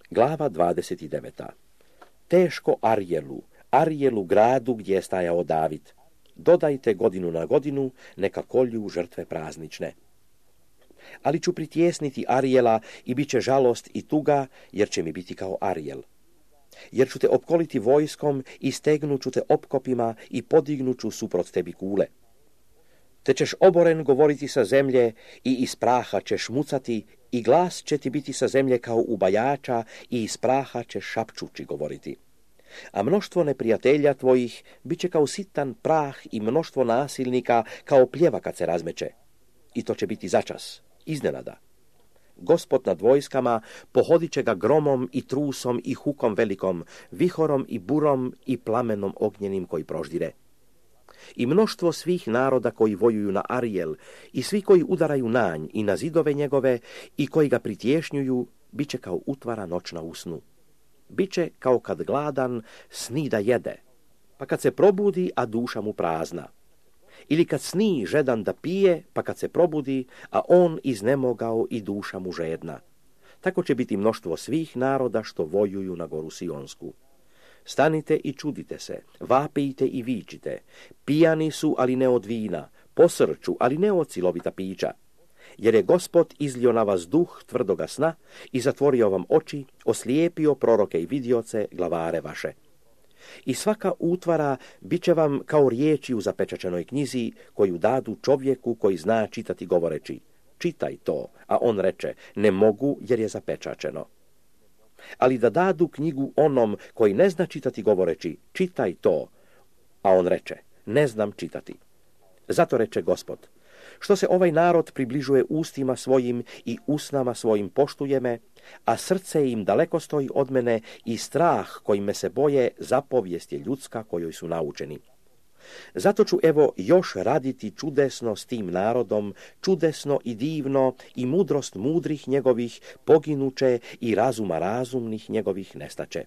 Glava 29. Teško Arjelu gradu gdje je stajao David. Dodajte godinu na godinu, neka kolju žrtve praznične. Ali ću pritjesniti Arjela i bit će žalost i tuga, jer će mi biti kao Arjel. Jer ću te opkoliti vojskom i stegnut ću te opkopima i podignut ću suprot tebi kule. Te ćeš oboren govoriti sa zemlje i iz praha ćeš mucati i glas će ti biti sa zemlje kao ubajača i iz praha ćeš šapčući govoriti. A mnoštvo neprijatelja tvojih bit će kao sitan prah i mnoštvo nasilnika kao pljeva kad se razmeće. I to će biti začas, iznenada. Gospod nad vojskama pohodit će ga gromom i trusom i hukom velikom, vihorom i burom i plamenom ognjenim koji proždire. I mnoštvo svih naroda koji vojuju na Arjel i svi koji udaraju na nj i na zidove njegove i koji ga pritješnjuju, bit će kao utvara noćna u snu. Biće kao kad gladan sni da jede, pa kad se probudi, a duša mu prazna. Ili kad sni žedan da pije, pa kad se probudi, a on iznemogao i duša mu žedna. Tako će biti mnoštvo svih naroda što vojuju na goru Sionsku. Stanite i čudite se, vapijte i vičite. Pijani su, ali ne od vina, posrću, ali ne od silovita pića. Jer je Gospod izlio na vas duh tvrdoga sna i zatvorio vam oči, oslijepio proroke i vidioce, glavare vaše. I svaka utvara bit će vam kao riječi u zapečačenoj knjizi koju dadu čovjeku koji zna čitati govoreći, čitaj to, a on reče, ne mogu jer je zapečačeno. Ali da dadu knjigu onom koji ne zna čitati govoreći, čitaj to, a on reče, ne znam čitati. Zato reče Gospod, što se ovaj narod približuje ustima svojim i usnama svojim poštuje me, a srce im daleko stoji od mene i strah kojim me se boje zapovijest je ljudska kojoj su naučeni. Zato ću evo još raditi čudesno s tim narodom, čudesno i divno i mudrost mudrih njegovih poginuće i razuma razumnih njegovih nestaće.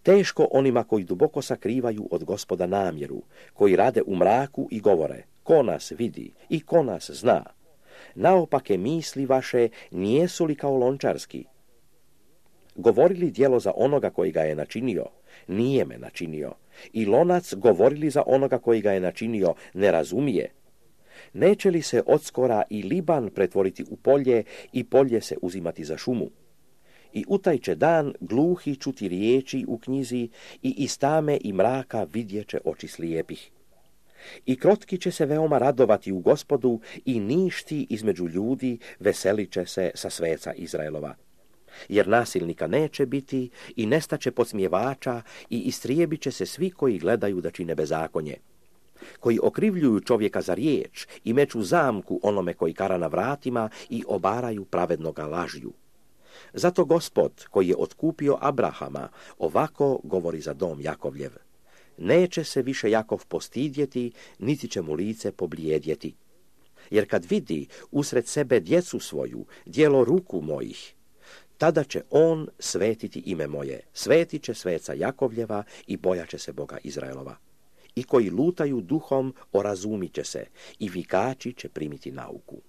Teško onima koji duboko sakrivaju od Gospoda namjeru, koji rade u mraku i govore, ko nas vidi i ko nas zna. Naopake misli vaše nijesu li kao lončarski? Govorili djelo za onoga koji ga je načinio, nije me načinio. I lonac govorili za onoga koji ga je načinio, ne razumije. Neće li se odskora i Liban pretvoriti u polje i polje se uzimati za šumu? I u taj će dan gluhi čuti riječi u knjizi i iz tame i mraka vidjeće oči slijepih. I krotki će se veoma radovati u Gospodu i ništi između ljudi veselit će se sa sveca Izraelova. Jer nasilnika neće biti i nestaće podsmjevača i istrijebit će se svi koji gledaju da čine bezakonje. Koji okrivljuju čovjeka za riječ i meću zamku onome koji kara na vratima i obaraju pravednoga lažju. Zato Gospod, koji je otkupio Abrahama, ovako govori za dom Jakovljev. Neće se više Jakov postidjeti, niti će mu lice poblijedjeti. Jer kad vidi usred sebe djecu svoju, djelo ruku mojih, tada će on svetiti ime moje, svetit će sveca Jakovljeva i bojat će se Boga Izraelova. I koji lutaju duhom orazumit će se i vikači će primiti nauku.